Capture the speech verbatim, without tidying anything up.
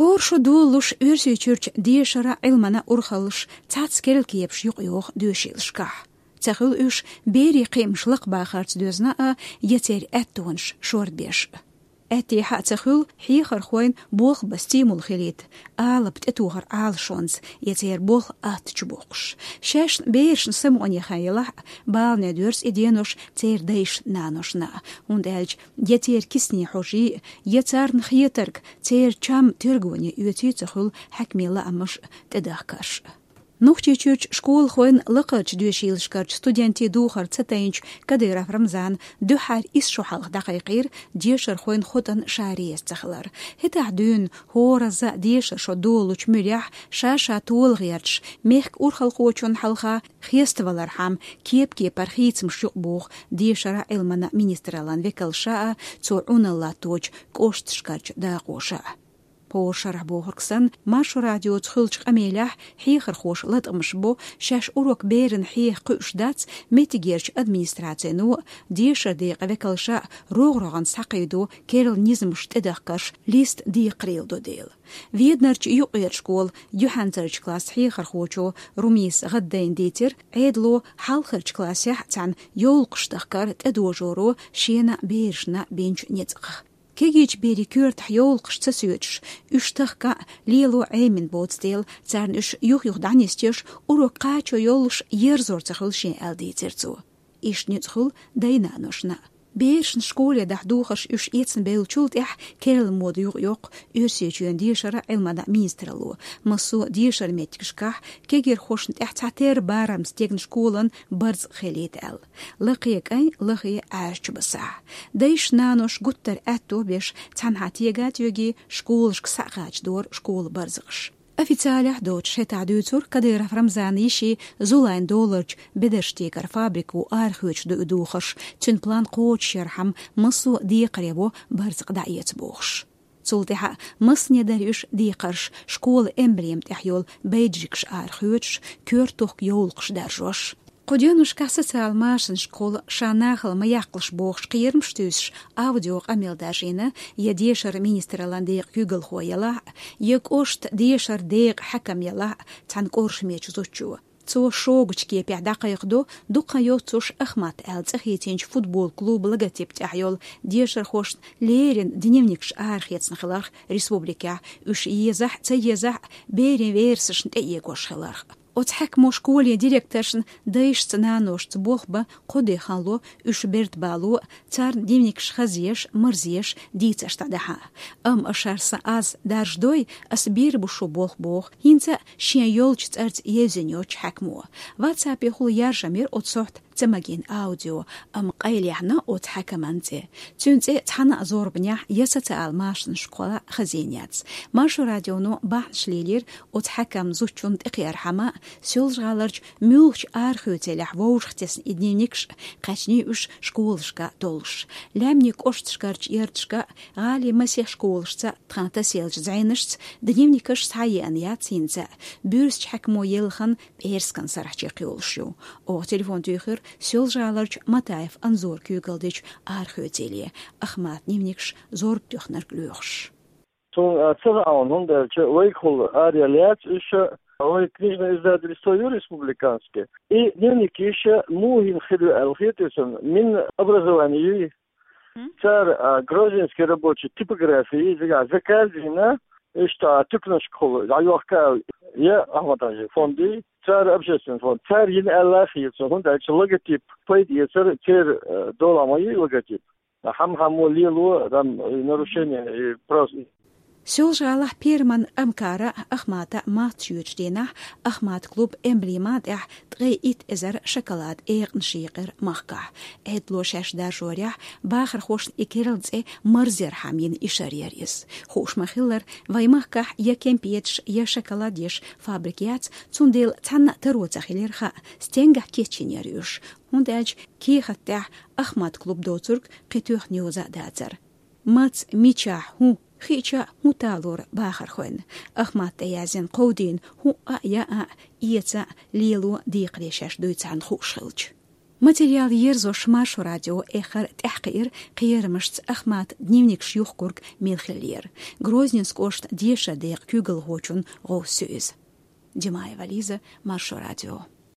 ХӀора шо долалуш Оьрсийчуьрчу дешара, Ӏилмана урхаллаш цхьацца керла кепаш юкъайоху доьшийлашкахь. Ца хуьлу уьш берийн кхиамаш лакхабахарца доьзна а, я церан аьттонаш шорбеш а. Аьттехьа а ца хуьлу хьехархойн болх бан стимул хилийта, алапа тӀетохар Ӏалашонца, я церан болх атта чу боккхуш. Шаьшна берашна самукъане хан елахь а, балане доьрзу и денош церан дайшна-наношна а, хӀунда аьлча я церан кисане хьожий, я царна хетарг церан чам тергоне оьций ца хуьлу хьаькамийн лаамаш а, тӀедахкарш а. Нохчийчуьрчу школахойн лакхарчу доьшийлашкарчу студентийн духар ца тайначу Кадыров Рамзана дуьххьара исс шо хьалха дӀакхайкхийра дешархойн хотӀан ша реза ца хилар. ХӀетахь дуьйна хӀоразза дешара шо долалучу муьрехь ша-ша тола гӀерташ, мехкан урхалхочунна хьалха хеставалархьама кеп-кепара хийцамаш юкъабоху дешара, Ӏилмана министраллан векалша а, цо Ӏуналла латточу кӀошташкарчу дакъоша а. ХӀора шарахь бохург санна, Маршо радиоца хуьлучу къамелехь хьехархоша латкъамаш бо, шаьш урок берана хьеха кхуьуш дац меттигерчу администрацино а, дешара декъан векалша а рогӀ-рогӀанца схьакхийдо керла низамаш тӀедахкарш листа декхарийлахь до дела. Веданарчу юккъерчу школан юьхьанцарчу классан хьехархочо Румиса ГӀаддайна дийцира, Ӏедало хьалхарчу классехь а царна йовлакхаш тахкар тӀедожоро шена а, берашна а бинчу ницкъах. Кегийчу берийн коьртахь йовлакхаш ца соьцуш, уьш тахка а, лело Ӏемина боцу дела, царна уьш юх-юха дӀанисдеш, урок кхачо йоллуш ерзор ца хуьлу шен, аьлла дийцира цо. Иштта ницкъ хуьлу дай-наношна а. Берашна школе дахьа духарш уьш эцна бевллачул тӀаьхьа керла мода юкъайоккху Оьрсийчоьнан дешара, Ӏилмана министралло. Массо а дешара меттигашкахь кегирхошна тӀехь цхьатерра барамца дегна школан барзакъ хилийта аьлла. Лакхе кӀайн, лахе Ӏаьржа чу басахь. Дайша-наношна гуттар а аьтто беш, цхьанхьа тега а тоьгий, школашка схьа а кхачадора школан барзакъаш. Официалехь доцуш хӀетахь дуьйцура Кадыров Рамзанан йишин Зулайн доларчу бедарш текаран фабрико арахоьцуш ду и духарш, цуьнан план кхочушъярхьама массо а декхаре во барзакъ дӀаэца бохуш. Цул тӀаьхьа массане дара уьш декхарш, школан эмблема тӀехь йолу бейджикаш арахоьцуш, коьртах йовлакхаш даржош. Кху деношкахь социал машанашкахула ша нахала ма яккхалаш бохуш кхерамаш туьйсуш аудиокъамел даржийна я дешара министраллан декъан куьйгалхо елахь а, я кӀоштан дешара декъан хьаькам елахь а цхьана кӀоршамечу зудчо. Цо шогачу кепехь дӀакхайкхадо дукха йоццуш Ахмат аьлла цӀе хийцинчу футбол клубан логотип тӀехь йолу дешархошна леррина дневникаш арахецна хиларх республикехь, уьш езахь а, ца езахь а, берийн верасашна тӀеэгош хиларх. Оцу хьаькамо школе директоршна дайшца, наношца болх бан кхо де хан ло, уьш берда бало а, царна дневникаш хазъеш, марзъеш, дийцарш дӀадахьа а. Амма аш шар сан аз даржадой, ас бийр бу шу болх боху, хӀинца а шен йолчу цӀарца евзина йоцчу хьаькамо. Ватсапехула яржам яра оцу сохьта ца магийна аудио, амма къайлаяьхьна оцу хьаькаман цӀе. Цуьнан цӀе цхьана а зорбанехь я социал машанашкахула хазийна яц. Маршо радионо бахьанаш лелийра оцу хьаькаман зудчунна тӀекхиархьама, Соьлжа-ГӀаларчу муьлххачу арахоьцийлехь вовшахтесна и дневникаш, кхаьчний уьш школашка а доллуш. Лаьмнийн кӀошташкарчу ярташка а, гӀалин масех школашца а, тхан тасаеллачу зӀенашца а дневникаш схьаеана яц хӀинца а, буьрсачу хьаькамо елла хан пӀераскан сарахь чекхйолуш ю. Оха телефон туьйхира Соьлжа-ГӀаларчу Матаев Анзора куьйгалла дечу арахоьцийле, Ахматан дневникаш зорба тоьхнарг лоьхуш. Суна, а, ца хаьа, хӀунда аьлча вайгахула араяьлла яц уьш, вай книжное издательство ю республиканское. И дневникаш муха йина хир ю аьлла хетий суна, Минобразование юй. Цара, а, грузинский рабочий типографии, иза заказ йина, иштта, а, туькнашкахула дӀайохка аьлла, я Ахматан фондий, цара общественный фонд. Цара йина аьлла хета суна, хӀунда аьлча логотип пайда эцар церан, а, дола ма ю логотип. Хьам-хьамо лело, там, и нарушение, и просто. Соьлжа-ГӀалахь Перман Амкара Ахмата матта йоьдучу дийнахь Ахмат клуб эмблема тӀехь ткъе итт эзар шоколад экъанаш йийкъира махкахь. Ӏедало шаьш даржорехь, бахархошна и керла цӀе марзъярхьама йина и шар яра иза. Хууш ма-хиллара, вайн махкахь я кемпеташ, я шоколад еш фабрика яц, цундела цхьанна а таро ца хилира хаа, стенгахь кечйина яра уьш. ХӀунда аьлча кехат тӀехь Ахмат клуб доцург кхин тоьхна йоза а дацара. Маца, мичахь, хӀун хиъча а, хӀун талора бахархойн. Ахмата тӀеяздина кховдийна хӀуъа а, яа а, эца а, лело а декхаре шаьш дуй царна хууш хилча. Материал ерзош Маршо радио эххар тӀаьхьакхиира кхерамашца Ахмата дневникаш юхкург мел хиллера. Грозненски кӀоштан дешара декъан куьйгалхочун гӀовс ю иза. Димаева Лиза, Маршо радио.